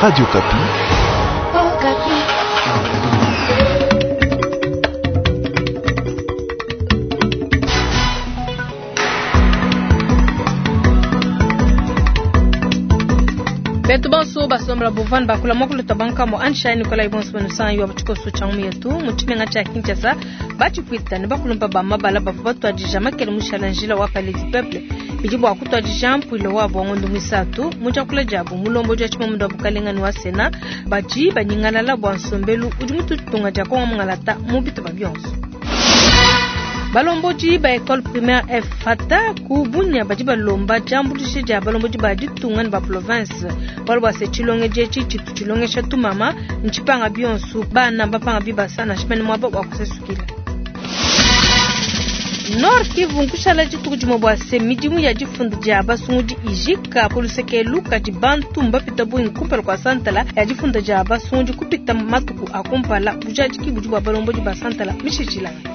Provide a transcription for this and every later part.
Radio Okapi. Betu bonso basombola bovani bakula mwakulu twabanka ansha Nikolai bonso banusanga wa tshikoso tsha ngumu yetu mu tshimenga tshia Kinshasa batshipwita ne bakulumpa ba mabala bavua batuadija makele mushala njila wa Palais du Peuple bidi bua kutuadija mpuilo wabo wa ngondo muisatu mu diakula diabu mulombodi wa tshimamunda wa bukalenga ne wa Sena badi banyingalala bua nsombelu udi mututunga dia Kongo mungalata mu bitupa bionso. Balombodi ba école primaire F Fata ku Bunia badi balomba diambuluisha dia balombodi ba ditunga ne ba province bualu bua se tshilongedi etshi tshitu tshilongesha tumama ntshipanga bionso bana bapanga bibasa nansha mene muaba wa kusesukila. Nord Kivu nkushala dituku dimue bua se midimu ya difunda dia basungudi ijika ku luseke kadi bantu mbapita bungi kumpala kua santala ya difunda dia basungudi kupita matuku a kumpala bujadiki budi bua balombodi ba santala mishishilangana.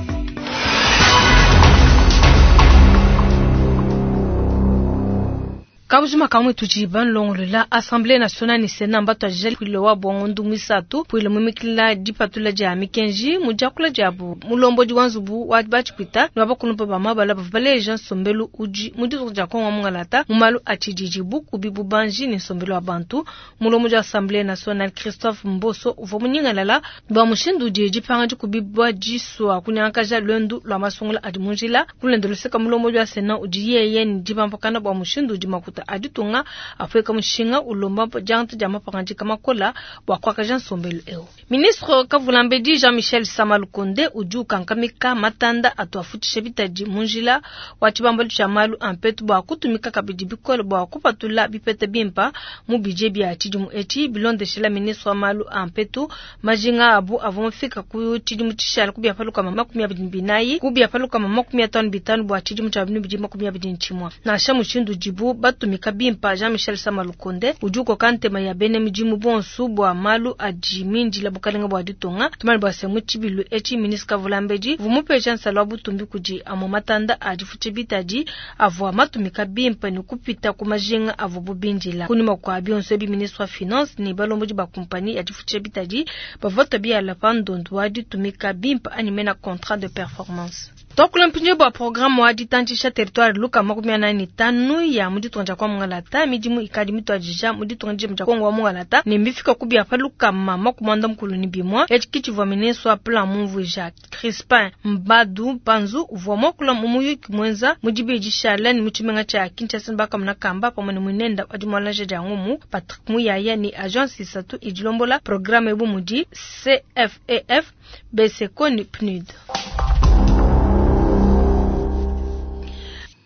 Kabujima kamwe tudi banlongolola Assemblée nationale ne Sénat mbatuadija mpuilo wa bongo muisatu mpuilo mumikila dipatula dia mikenji mu diakula diabu mulombodi wa nzubu wa batshipwita ne wa bakulumpa ba mabala bavua baleja nsombelu udi mu ditunga dia Kongo mungalata mu malu a tshididi bukubi bubanji ne nsombelu wa bantu. Mulombodi wa Assemblée nationale Christophe Mboso uvua munyingalala bua mushindu udi dipanga dikubi bua disua kunyangakaja luendu lua masungula adi mu njila. Kulenda luseka mulombodi wa Sénat udi yeye ne dipampakana bua mushindu udi makuta aditunga afueka mushinga ulomba diangata dia mapangadika makola bua kuakaja nsombelu eu. Ministre Kavulambedi Jean-Michel Sama Lukonde udi ukankamika matanda atu afutisha bitadi mu njila wa tshibambalu tshia malu a mpetu bua kutumika kabidi bikole bua kupatula bipeta bimpa mu budget bia tshidimu etshi. Bilondeshela ministre wa malu a mpetu majinga abu avua mafika ku tshidimu tshishala ku biapaluka 24 ku biapaluka 55 bua tshidimu tshia 2021. Nansha mushindu udibu batumika bimpa Jean-Michel Sama Lukonde udi ukoka ntema ya bena midimu bonso bua malu adi mindila bukalenga bua ditunga. Tumani bua se mu tshibilu etshi ministre Kavulambedi uvua mupesha nsala wa butumbi kudi amue matanda a difutsha bitadi avua matumika bimpa ne kupita ku majinga avua bubindila. Kunyima kua bionso ebi ministre wa finance ne balombodi ba kompani ya difutsha bitadi bavua batua pa ndondu wa ditumika bimpa anyi mena contrat de performance. Twakula mpindieu bua programme wa ditantshisha territoire luka 45 ya mu ditunga dia kwa mungalata midimu ikadi mituadija mu ditunga dia Kongo wa mungalata ne mbifika ku bia pa lukama 81. Etshi kitshivua ministre wa plan mumvuija Crispin Mbadu Mpanzu uvua muakula mu muyuki muenza mu dibidi shala ne mu tshimenga tshia Kinshasa bakamuna kamba pamue ne muinenda wa dimualaja dia ngumu Patrick Muyaya ne agence isatu idilombola programme ebu mudi CFEF, BSECO ne PNUD.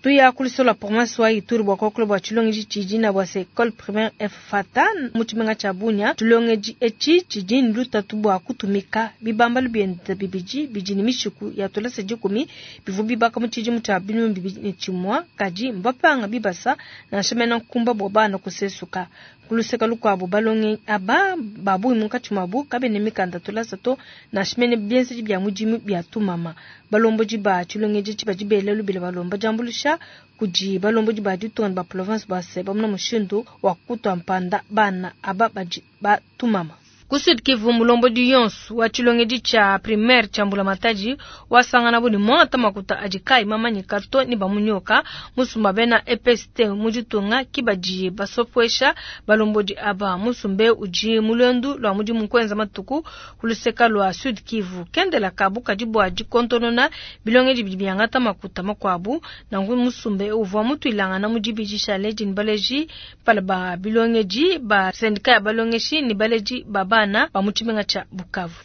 Tuya kulisola province wa Ituri bua kuakula bua tshilongedi tshidi na bua se école primaire F Fata mu tshimenga tshia Bunia. Tshilongedi etshi tshidi ne lutatu bua kutumika bibambalu bienda bibidi bidi ne mishiku ya tulasa 10 bivua bibaka mu tshidimu tshia 2021 kadi mbapanga bibasa nansha mena nkumba bua bana kusesuka. Kuluseka lukuabu balongi aba babungi munkatshi muabu kabena mikanda tulasa to nansha mene bienzedi bia mudimu bia tumama. Balombodi ba tshilongedi tshi badi bela lubila balomba diambuluisha kudi balombodi ba ditunga ne ba province bua se bamona mushindu wa kutua mpanda bana aba badi batumama. Ku Sud Kivu mulombodi yonso wa tshilongedi tshia primaire tshia Mbulamatadi wasangana bu ne mwata makuta adi kayi mamanyika to ne bamunyoka musumba bena EPST mu ditunga kibadi basopwesha balombodi aba musumbe udi mulwendu lwa mudimu kwenza matuku kuluseka lwa Sud Kivu kendela kabu kadi bua dikontonona bilongedi bidi biangata makuta makuabu nangu musumbe uvua mutuilangana mu dibidi shale dini baleji pala ba bilongedi ba syndicat ya balongeshi ne baleji ba bana ba mu tshimenga tshia Bukavu.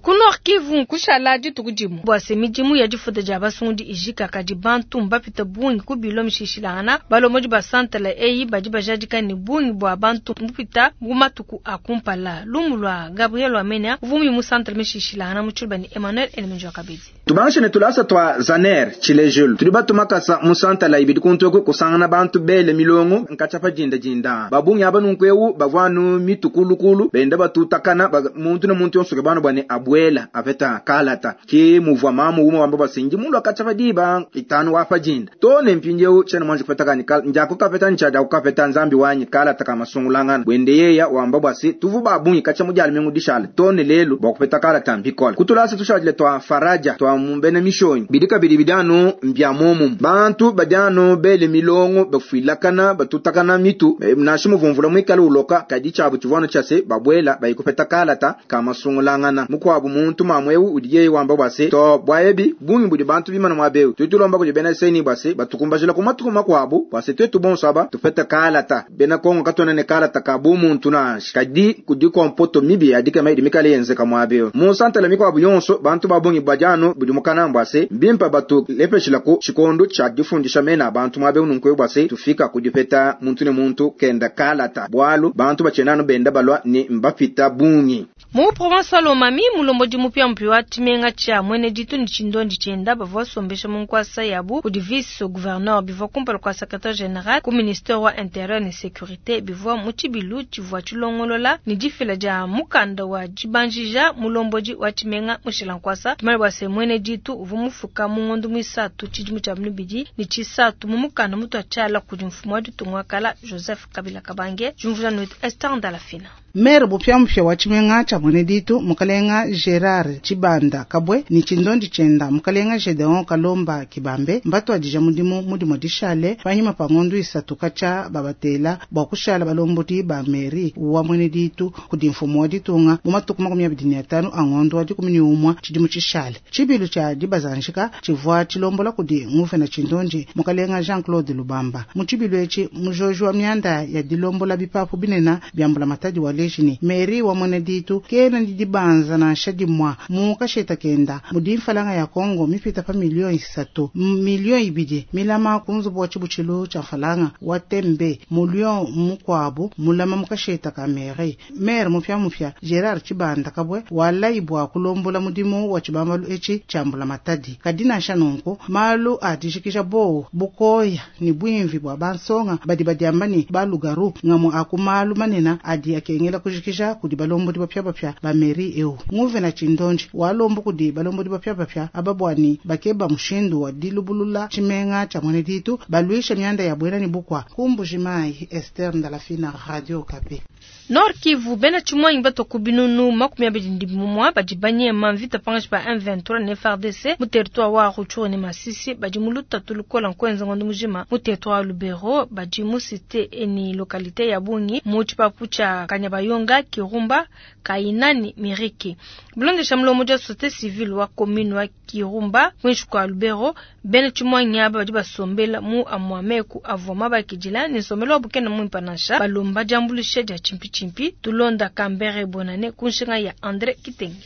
Ku Nord Kivu nkushala dituku dimue bua se midimu ya difuta dia basungudi ijika kadi bantu mbapita bungi ku bilo mishishilangana balombodi ba santala eyi badi bajadika ne bungi bua bantu mbupita mu matuku a kumpala. Lumu lua Gabriel Wamenya uvumi mu santala mishishilangana mu tshiluba ne Emmanuel Elemenjo Kabedi. Tubangishe ne tulasa tua Zaner, tshilejelu. Tudi batuma makasa mu santala ibidi kuntu eku kusangana bantu bele milongo nkatshia pa dinda dinda. Ba bungi aba nunku eu bavua anu mitu kulukulu benda batutakana ba, muntu ne muntu yonso ukeba anu bua ne abuela apeta kalata. Ke muvua mamu umue wamba bua se, ndi mulua katshia pa diba itanu wa pa dinda too ne mpindieu tshiena muanji kupeta kanyi kal, ndiakukapeta anyi tshiadiakukapeta, Nzambi wanyi, kalata ka masungulangana. Buende yeya wamba bua se, tuvua ba bungi katshia mu dia lumingu dishale too ne lelu bua kupeta kalata mbikole. Ku tulasa tushadile tua Faraja tua mu bena Mishonyi bidi kabidi bidi anu mbia muomumue. Bantu badi anu bele milongo, bafuilakana, batutakana mitu, nansha muvua mvula muikale uloka, kadi tshiabu tshivua anu tshia se, babuela baye kupeta kalata ka masungulangana. Mukuabu muntu mamu eu udi yeye wamba bua se, Too, bua ebi bungi budi bantu bimana muaba eu, tudi tulomba kudi bena CENI bua se, batukumbajila ku matuku makuabu bua se, tuetu bonso aba tupete kalata. Bena Kongo katuena ne kalata ka bumuntu nansha, kadi kudi kompoto mibi ya dikema idi mikale yenzeka muaba eu. Mu santala mikuabu yonso, bantu ba bungi badi anu budimuka bua se, mbimpe batulepeshilaku tshikondo tshia difundisha mena a bantu muaba eu nunku eu bua se, tufika ku dipeta muntu ne muntu kenda kalata, bualu bantu batshiena anu benda balua ne mbapita bungi. Mu province wa Lomami, mulombodi mupiamupia wa tshimenga tshia Muene-Ditu ne tshindondi tshienda bavua basombesha mu nkuasa yabu kudi vice-gouverneur. Bivua kumpala kua secretaire general ku ministere wa Interieur ne Securite. Bivua mu tshibilu tshivua tshilongolola ne difila dia mukanda wa dibanjija mulombodi wa tshimenga mushila nkuasa. Tumanye bua se Muene-Ditu uvua mufuka mu ngondo muisatu tshidimu tshia binunu ne tshisatu mu mukanda mutua tshiala kudi mfumu wa ditunga wa kala Joseph Kabila Kabange. Diumvuija nuetu Esther Ndalafina. Maire mupiamupia wa tshimenga tshia Muene-Ditu, Mukalenga Gerard Tshibanda Kabwe ne tshindondi tshienda Mukalenga Gedeon Kalomba Kibambe mbatuadija mudimu mu dimue dishale panyima pa ngondo isatu katshia babatela bua kushala balombodi ba mairie wa Muene-Ditu kudi mfumu wa ditunga mu matuku 25 a ngondo wa 11 tshidimu tshishale. Tshibilu tshia dibazanjika tshivua tshilombola kudi nguvena tshindondi Mukalenga Jean-Claude Lubamba. Mu tshibilu etshi mujoji wa mianda ya dilombola bipapu binene bia mbulamatadi waleji ne mairie wa Muene-Ditu kena ne dibanza nansha dimue mu kasheta kenda mudi mfalanga ya Kongo mipita pa miliyo isatu miliyo ibidi milama ku nzubu wa tshibutshilu tshia mfalanga wa Tembe miliyo mukuabu mulama mu kasheta ka mairie. Maire mupiamupia Gerard Tshibanda Kabwe walayi bua kulombola mudimu wa tshibambalu etshi tshia mbulamatadi. Kadi nansha nunku malu a dijikija bowu bukoya ne buimvi bua bansonga badi badiamba ne balugaru ngamue a ku malu manene adi akengela kujikija kudi balombodi bapiabapia ba mairie eu. Nguvena tshindondi walomba kudi balombodi bapiabapia aba bua ne bakeba mushindu wa dilubulula tshimenga tshia Muene-Ditu baluisha mianda ya buena ne bukua. Ku Mbuji-Mayi, Esther Ndalafina, Radio Okapi. Nord Kivu, bena tshimuangi batua ku binunu 21 badi banyema mvita pankatshi pa M23 ne FARDC mu territoire wa Rutshuru ne Masisi badi mu lutatu lukola nkuenza ngondo mujima mu territoire wa Lubero badi mu cité ne localité ya bungi mu tshipapu tshia Kanyabayonga, Kirumba, Kaina ne Miriki. Bilondesha mulombodi wa société civile wa commune wa Kirumba kuinshi kua Lubero, bena tshimuangi aba badi basombela mu amua meku avua mabakidila ne nsombelu wabu kena muimpe nansha, balomba diambuluisha dia tshimpitshimpi. Tulonda Kambere Bonane ku nshinga ya Andre Kitenge.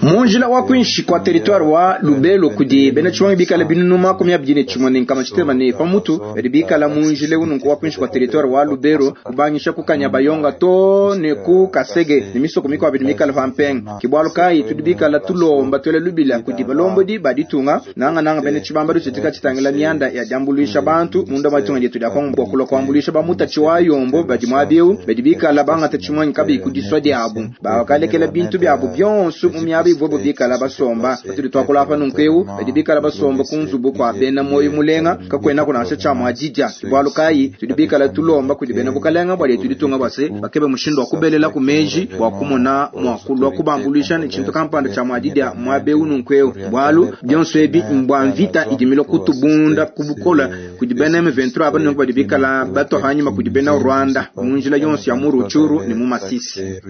Mu njila wa kuinshi kua territoire wa Lubero kudi bena tshimuangi bikala binunu 21 ne nkama tshitema ne pamutu badi bikala mu njila eu nunku wa kuinshi kua territoire wa Lubero kubangisha ku Kanyabayonga too ne ku Kasege ne misoko mikuabu idi mikale pa mpenga. Ke bualu kayi tudi bikala tulomba tuela lubila kudi balombodi ba ditunga nangananga bena tshibambalu tshitika tshitangila mianda ya diambuluisha bantu munda mua ditunga dietu dia Kongo bua kulua kuambuluisha ba mutatshi wa yombo badi muaba eu badi bikala bangata tshimuangi kabiyi ku disua diabu bakalekela bintu biabu bionso mu miaba ivuabu bikala basomba. Patudi tuakula apa nunku eu badi bikala basomba ku nzubu kua bena muoyo mulenga kakuenaku nansha tshia mua didia. Ke bualu kayi tudi bikala tulomba kudi bena bukalenga bua dietu ditunga bua se bakebe mushindu wa kubelela ku meji bua kumona mua kulua kubambuluisha ne tshintu kampanda tshia mua didia muaba eu nunku eu, bualu bionso ebi mbua mvita idi milua kutubunda ku bukola kudi bena M23 aba nunku badi bikala batua panyima kudi bena Rwanda mu njila yonso ya mu Rutshuru ne mu Masisi.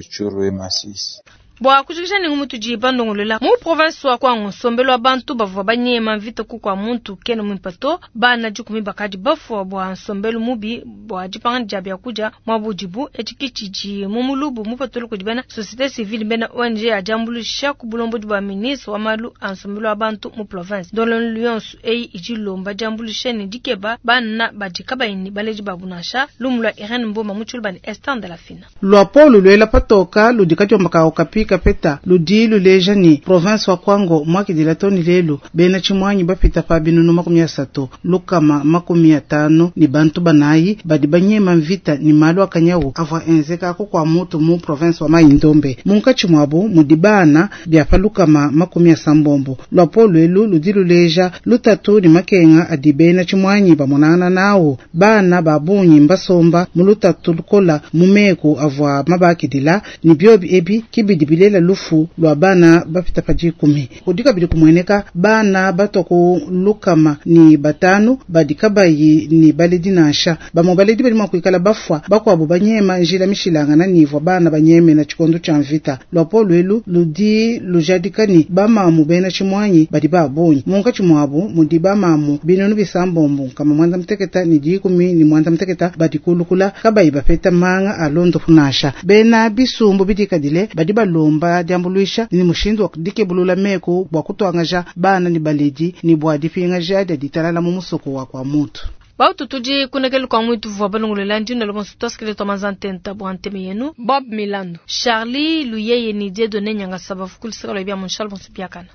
Bua kujikija ne ngumu tudi bandongolola mu province wa Kwango, nsombelu wa bantu bavua banyema mvita ku kua muntu kena muimpe to. Bana 10 bakadi bafua bua nsombelu mubi bua dipanga dia biakudia muaba udibu. Etshi ke tshidi mu mulubu mupatula kudi bena société civile bena ONG ya diambuluisha ku bulombodi bua ministre wa malu a nsombelu wa bantu mu province. Ndongoluelu yonso eyi idi ilomba diambuluisha ne dikeba bana badi kabayi ne baledi babu nansha. Lumu lua Irene Mboma mu Tshiluba ne Esther Ndalafina. Luapolo luela patoka ludi kadiomba ka Okapi Kapeta ludi luleja ni province wa Kwango mwakidila toni lelu bena chimwanyi bapita pa binunu 350 ni bantu banayi badi banyema mvita ni malu akanyawu avua enzeka ko kwa mutu mu province wa Mai-Ndombe munkatshi muabu mudi bana bia pa 60. Lwapolo elu ludi luleja lutatu ni makenga adi bena chimwanyi bamonana nawo bana babunyi mbasomba mu lutatu lukola mu meku avua mabakidila ni biobi ebi kibidi bilela lufu lwa bana bapita pa 10 kudi kabidi kumweneka bana batwa ku 105 badi kabayi ni baledi nansha bamwe baledi badi mua kuikala bafwa bakuabu banyema njila mishilangana nivua bana banyeme na tshikondo tshia mvita. Lwapolo elu ludi lujadika ni bamamu bena tshimwanyi badi babunyi munkatshi muabu mudi bamamu 769 badi kulukula kabayi bapeta manga alondo kunasha bena bisumbu bidikadile badi balomba diambuluisha ni mushindu wa dikebulula meku bua kutwangaja bana ni baledi ni bua dipingaja dia ditalala mu musoko wa kwa mutu. Bautu tudi kunekele kwa mwitu vua balongolela ndino lo bonso twasikile twa manzantenta bua nteme yenu Bob Milando Charlie Luyeye ni Dieudonné Nyangasa bafukulisaka lo bia Monchal bonso biakana.